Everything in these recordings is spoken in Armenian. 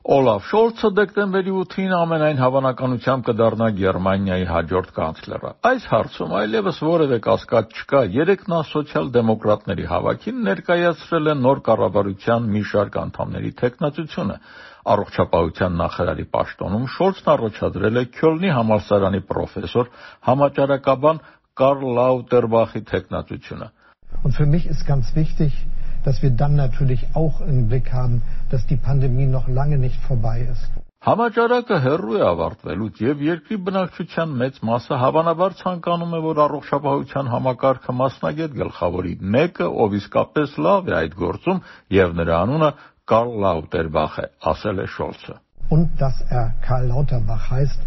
Օլաֆ Շոլցը դեկտեմբերի 8-ին ամենայն հավանականությամբ կդառնա Գերմանիայի հաջորդ կանցլերը։ Այս հարցում այլևս որևէ կասկած չկա։ Երեկ նա սոցիալ-դեմոկրատների հավաքին ներկայացրել է նոր կառավարության մի շարք անդամների թեկնածությունը։ Առողջապահության նախարարի պաշտոնում Շոլցն առաջադրել է Քյոլնի համալսարանի պրոֆեսոր, համաճարակաբան Կարլ Լաուտերբախի թեկնածությունը։ Und für mich ist ganz wichtig, dass wir dann natürlich auch im Blick haben, dass die Pandemie noch lange nicht vorbei ist. Համաճարակը հեռու է ավարտվելուց եւ երկրի բնակչության մեծ մասը հավանաբար ցանկանում է, որ առողջապահության համակարգը մասնագետ գլխավորի մեկը, ով իսկապես լավ է այդ գործում, եւ նրա անունը Կարլ Լաուտերբախ է, ասել է Շոլցը։ Und dass Karl Lauterbach heißt,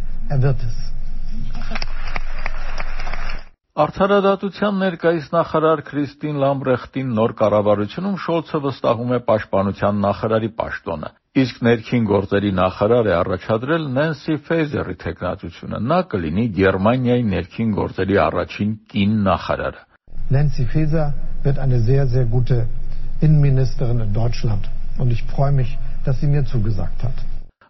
wird es. Արդարադատության ներկայիս նախարար Քրիստին Լամբրեխտին նոր կառավարությունում Շոլցը վստահում է պաշտպանության նախարարի պաշտոնը, իսկ ներքին գործերի նախարար է առաջադրել Նենսի Ֆեյզերի թեկնածությունը։ Նա կլինի Գերմանիայի ներքին գործերի առաջին կին նախարարը։ Nancy Faeser wird eine sehr, sehr gute Innenministerin in Deutschland. Und ich freue mich, dass sie mir zugesagt hat.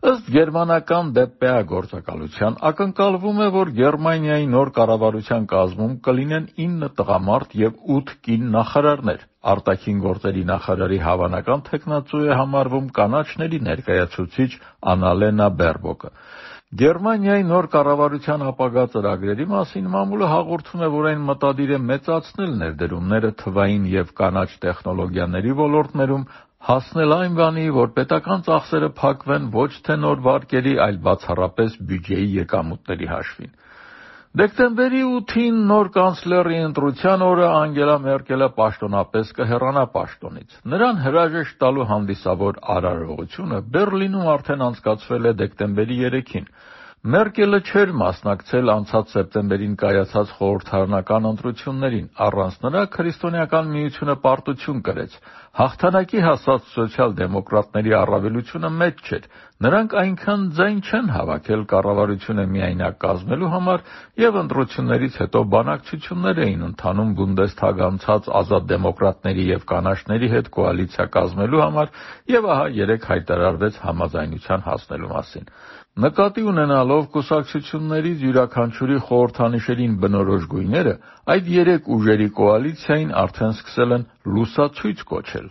Ըստ գերմանական ԴՊԱ գործակալության ակնկալվում է, որ Գերմանիայի նոր կառավարության կազմում կլինեն 9 տղամարդ եւ 8 կին նախարարներ։ Արտաքին գործերի նախարարի հավանական թեկնածու է համարվում կանաչների ներկայացուցիչ Անալենա Բերբոկը։ Գերմանիայի նոր կառավարության ապագա ծրագրերի մասին մամուլը հաղորդում է, որ այն մտադիր է մեծացնել ներդրումները թվային եւ կանաչ տեխնոլոգիաների ոլորտներում, հասնել այն բանի, որ պետական ծախսերը փակվեն ոչ թե նոր վարկերի, այլ բացառապես բյուջեի եկամուտների հաշվին։ Դեկտեմբերի 8-ին նոր կանցլերի ընտրության օրը Անգելա Մերկելը պաշտոնապես կհեռանա պաշտոնից։ Նրան հրաժեշտ տալու հանդիսավոր արարողությունը Բերլինում արդեն անցկացվել է դեկտեմբերի 3-ին։ Մերկելը չէր մասնակցել անցած սեպտեմբերին կայացած խորհրդարանական ընտրություններին, առանց նրա քրիստոնեական միությունը պարտություն կրեց։ Հաղթանակի հասած սոցիալ-դեմոկրատների առավելությունը մեծ չէր։ Նրանք այնքան ձայն չեն հավաքել կառավարությունը միայնակ կազմելու համար եւ ընտրություններից հետո բանակցություններ էին ընթանում Բունդեսթագ անցած ազատ դեմոկրատների եւ կանաչների հետ կոալիցիա կազմելու համար եւ ահա երեք հայտարարվեց համաձայնության հասնելու մասին։ Նկատի ունենալով կուսակցություններից յուրաքանչյուրի խորհրդանիշերին բնորոշ գույները, այդ երեք ուժերի կոալիցիային արդեն սկսել են լուսացույց կոչել։